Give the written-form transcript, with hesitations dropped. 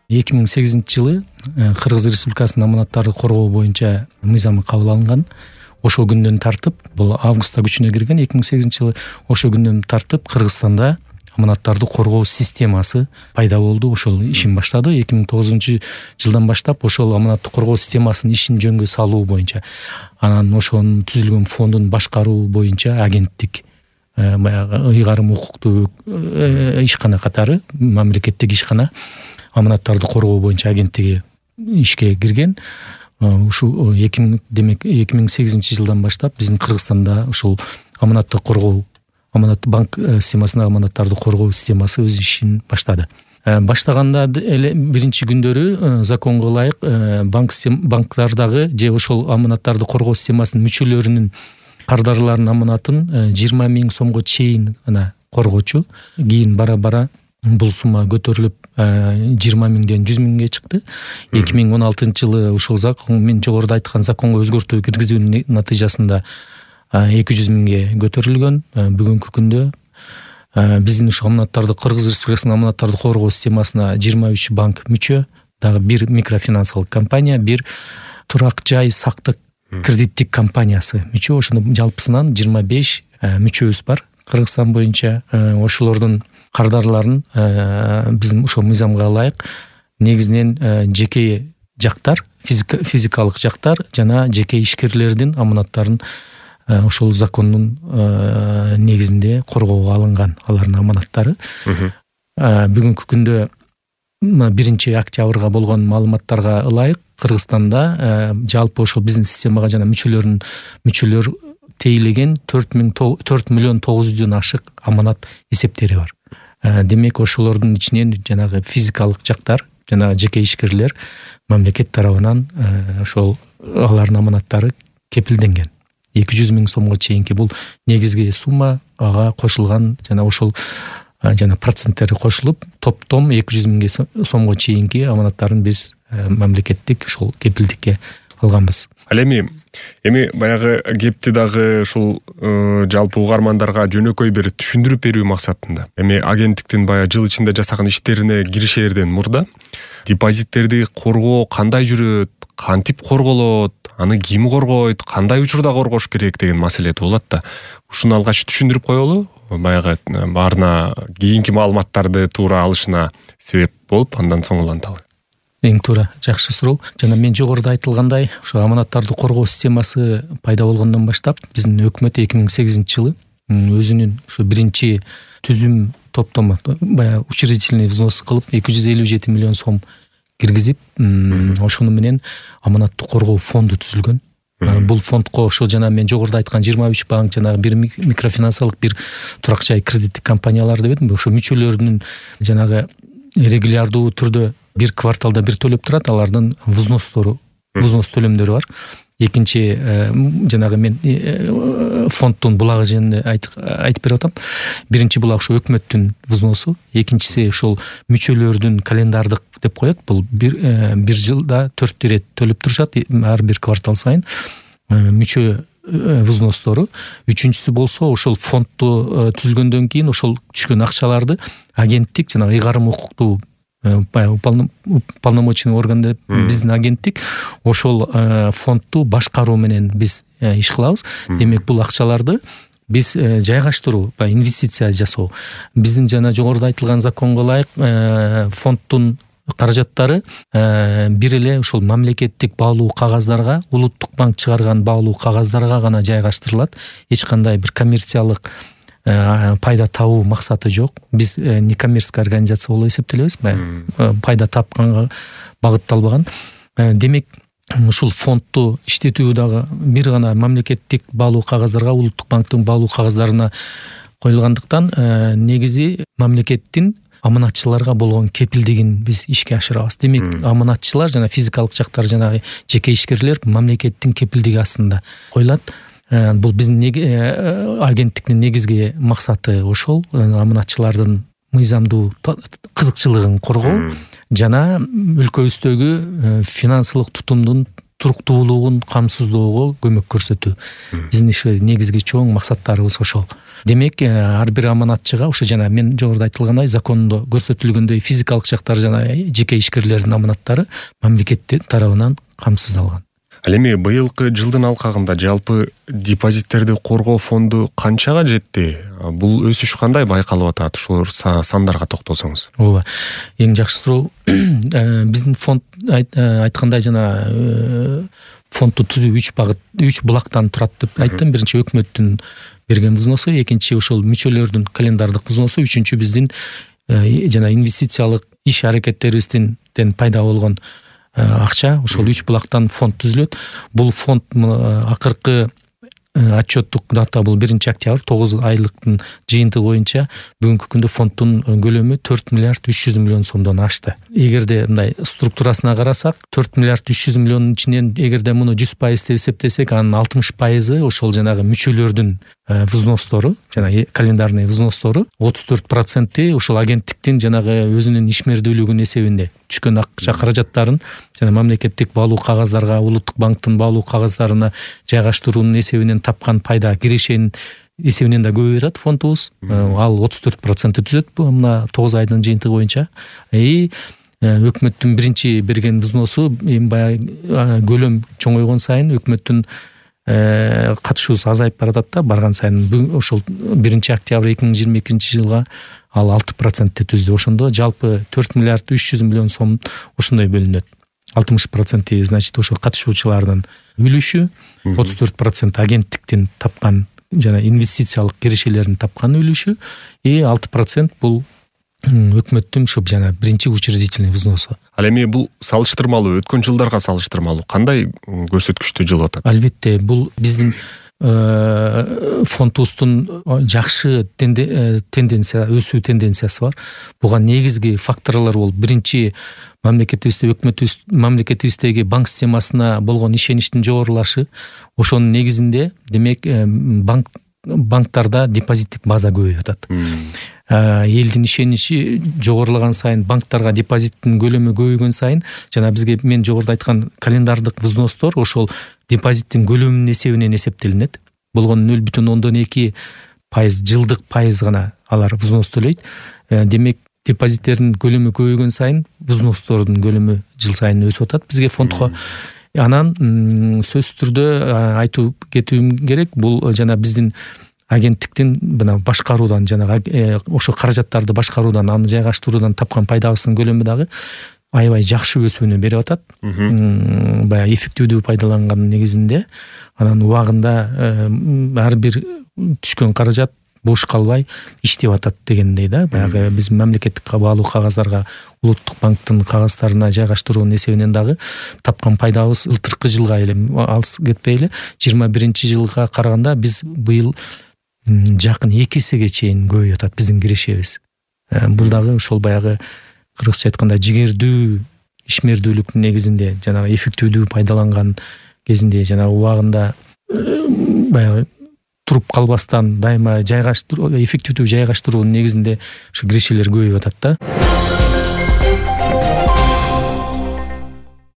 2008-жылы Кыргыз Республикасынын аманаттарды коргоо боюнча мыйзамы кабыл алынган. Ошол күндөн тартып, бул августта күчүнө кирген 2008-жылы, ошол күндөн тартып Кыргызстанда аманаттарды коргоо системасы пайда болду. Ошол ишин баштады. 2009-жылдан баштап ошол аманатты коргоо системасынын ишин жөнгө салуу боюнча, анан ошонун түзүлгөн фондун башкаруу боюнча агенттик, баягы ыйгарым укуктуу ишкана катары мамлекеттик ишкана аманаттарды коргоо боюнча агенттиги ишке кирген. Ушул 2008-жылдан баштап биздин Кыргызстанда ушул аманатты коргоо, аманат банк системасына аманаттарды коргоо системасы өз ишин баштады. Баштаганда эле биринчи күндөрү законго ылайык банктардагы же ошол аманаттарды коргоо системасынын мүчөлөрүнүн кардарларынын аманатын 20 000 сомго чейин гана коргочу. Кийин бара бул сумма көтөрүлүп 20 000ден 100 000ге чыкты. 2016-жылы ушул закон, мен жогоруда айткан законго өзгөртүү киргизүүнүн натыйжасында 200 000ге көтөрүлгөн. Бүгүнкү күндө биздин ушул аманаттарды, Кыргыз Республикасынын аманаттарды коргоо системасына 23 банк мүчө, дагы бир микрофинансылык компания, бир турак жай сактык кредиттик компаниясы мүчө. Ошондо жалпысынан 25 мүчөбүз бар Кыргызстан боюнча. Ошолордун кардарларын биздин ошол мыйзамга ылайык негизинен жеке жактар, физикалык жактар жана жеке ишкерлердин аманаттарын ошол закондун негизинде коргоого алынган алардын аманаттары. Бүгүнкү күндө 1 октябрга болгон маалыматтарга ылайык Кыргызстанда жалпы ошол биздин системага жана мүчөлөр тейлеген 4 миллион 900дөн ашык аманат эсептери бар. Демек ошолордун ичинен жанагы физикалык жактар жана жеке ишкерлер мамлекет тарабынан ошол алардын аманаттары кепилденген. 200 000 сомго чейинки бул негизги сумма, ага кошулган жана ошол жана проценттери кошулуп топтом 200 000 сомго чейинки аманаттарын биз мамлекеттик ушул кепилдикке алганбыз. Ал эми баягы кепти дагы ушул жалпы угармандарга жөнөкөй бир түшүндүрүп берүү максатында. Эми агенттиктин баягы жыл ичинде жасаган иштерине киришерден мурда депозиттерди коргоо кандай жүрөт, кантип корголот, аны ким коргойт, кандай учурда коргош керек деген маселе туулат да. Ушуну алгач түшүндүрүп коелу, баягы баарына кийинки маалыматтарды туура алышына себеп болуп, андан соң уланталы. Эң туура, жакшы суроо. Жана мен жогоруда айтылгандай, ошо аманаттарды коргоо системасы пайда болгондон баштап биздин өкмөт 2008-жылы өзүнүн ошо биринчи түзүм топтомо, баягы учредительный взнос кылып 257 миллион сом киргизип, ошону менен аманатты коргоо фонду түзүлгөн. Бул фондко ошо жана мен жогоруда айткан 23 банк, жанагы бир микрофинансылык, бир турак жай кредиттик компаниялар деп эдим. Ошо мүчөлөрүнүн жанагы регулярдуу түрдө бир кварталда бир төлөп турат, алардын взнос төлөмдөрү бар. Экинчи жанагы мен фонддун булагы жөнүндө айтып берип атам. Биринчи булак ошо өкмөттүн взносу, экинчиси ошол мүчөлөрдүн календардык деп коет. Бул бир жылда 4 ирет төлөп турушат, ар бир квартал сайын мүчө взностору. Үчүнчүсү болсо ошол фондду түзүлгөндөн кийин ошол түшкөн акчаларды агенттик жана ыйгарым укуктуу уполномоченный орган деп биздин агенттик ошол фондду башкаруу менен биз иш кылабыз. Демек бул акчаларды биз жайгаштыруу, инвестиция жасоо. Биздин жана жогоруда айтылган законго ылайык фонддун каражаттары бир эле ошол мамлекеттик баалуу кагаздарга, улуттук банк чыгарган баалуу кагаздарга гана жайгаштырылат. Эч кандай бир коммерциялык пайда табуу максаты жок. Биз некоммерческий организация болуп эсептелебиз, пайда тапканга багытталбаган. Демек ушул фондду иштетүү дагы бир гана мамлекеттик баалуу кагаздарга, улуттук банктын баалуу кагаздарына коюлгандыктан негизи мамлекеттин аманатчыларга болгон кепилдигин биз ишке ашырабыз. Демек аманатчылар жана физикалык жактар, жанагы жеке ишкерлер мамлекеттин кепилдиги астында коюлат. Бул биздин агенттиктин негизги максаты ошол, аманатчылардын мыйзамдуу кызыкчылыгын коргоо жана өлкөбүздөгү финансылык тутумдун туруктуулугун камсыздоого көмөк көрсөтүү. Биздин негизги чоң максаттарыбыз ошол. Демек ар бир аманатчыга ошо жана мен жогоруда айтылгандай закондо көрсөтүлгөндөй физикалык жактар жана жеке ишкерлердин аманаттары мамлекет тарабынан камсыздалган. Ал эми быйылкы жылдын алкагында жалпы депозиттерди коргоо фонду канчага жетти? Бул өсүш кандай байкалып атат? Ушул сандарга токтолсоңуз. Ооба. Эң жакшы суроо. Биздин фонд айткандай жана фондду түзүү 3 булактан турат деп айттым. Биринчи өкмөттүн берген взносу, экинчи ошол мүчөлөрдүн календардык взносу, үчүнчү биздин жана инвестициялык иш аракеттерибизден пайда болгон акча. Ошол 3 булактан фонд түзүлөт. Бул фонд акыркы отчеттук дата бул 1-октябрь 9 айлыктын жыйынтыгы боюнча бүгүнкү күндө фонддун көлөмү 4 миллиард 300 миллион сомдон ашты. Эгерде мындай структурасына карасак, 4 миллиард 300 миллиондун ичинен эгерде муну 100% деп эсептесек, анын 60% ошол жанагы мүчөлөрдүн взностору, жана календарный взностору, 34% ошол агенттиктин жанагы өзүнүн ишмердүүлүгүнүн эсебинде түшкөн акча каражаттарын жана мамлекеттик баалуу кагаздарга, улуттук банктын баалуу кагаздарына жайгаштыруунун эсебинен тапкан пайда кирешенин эсебинен да көбөйүп атат фондубуз. Ал 34% түзөт мына 9 айдын жыйынтыгы боюнча. Өкмөттүн биринчи берген взносу эми баягы көлөм чоңойгон сайын өкмөттүн катышуусу азайып баратат да, барган сайын. Ошол 1-октябрь 2022 жылга ал 6% түздү. Ошондо жалпы 4 миллиард 300 миллион сом ошондой бөлүнөт. 60% значит ошо катышуучулардын үлүшү, 34% агенттиктин тапкан жана инвестициялык кирешелердин тапкан үлүшү, 6% бул өкмөттүн ушу жана биринчи учредительный взносу. Ал эми бул салыштырмалуу, өткөн жылдарга салыштырмалуу кандай көрсөткүчтү жылып атат? Албетте, бул биздин фондубуздун жакшы тенденция, өсүү тенденциясы бар. Буга негизги факторлор бул биринчи мамлекетибизде, мамлекетибиздеги банк системасына болгон ишеништин жогорулашы. Ошонун негизинде демек банктарда депозиттик база көбөйүп атат. Элдин ишеничи жогорулаган сайын, банктарга депозиттин көлөмү көбөйгөн сайын, жана бизге мен жогоруда айткан календардык взностор ошол депозиттин көлөмүнүн эсебинен эсептелинет. Болгон 0,2% жылдык пайыз гана алар взнос төлөйт. Демек депозиттердин көлөмү көбөйгөн сайын взностордун көлөмү жыл сайын өсүп атат бизге фондко. Анан сөзсүз түрдө айтып кетүүм керек, бул жана биздин агенттиктин мына башкаруудан жана ошо каражаттарды башкаруудан, аны жайгаштыруудан тапкан пайдабыздын көлөмү дагы аябай жакшы өсүүнү берип атат. Баягы эффективдүү пайдаланган негизинде, анан убагында ар бир түшкөн каражат бош калбай иштеп атат дегендей да. Баягы биз мамлекеттик баалуу кагаздарга, улуттук банктын кагаздарына жайгаштыруунун эсебинен дагы тапкан пайдабыз ылтыркы жылга эле алыс кетпей эле 21-жылга караганда биз быйыл жакын 2 эсеге чейин көбөйүп атат биздин кирешебиз. Бул дагы ошол баягы кыргызча айтканда жигердүү ишмердүүлүктүн негизинде, жана эффективдүү пайдаланган кезинде, жана убагында баягы туруп калбастан дайыма эффективдүү жайгаштыруунун негизинде ушу кирешелер көбөйүп атат да.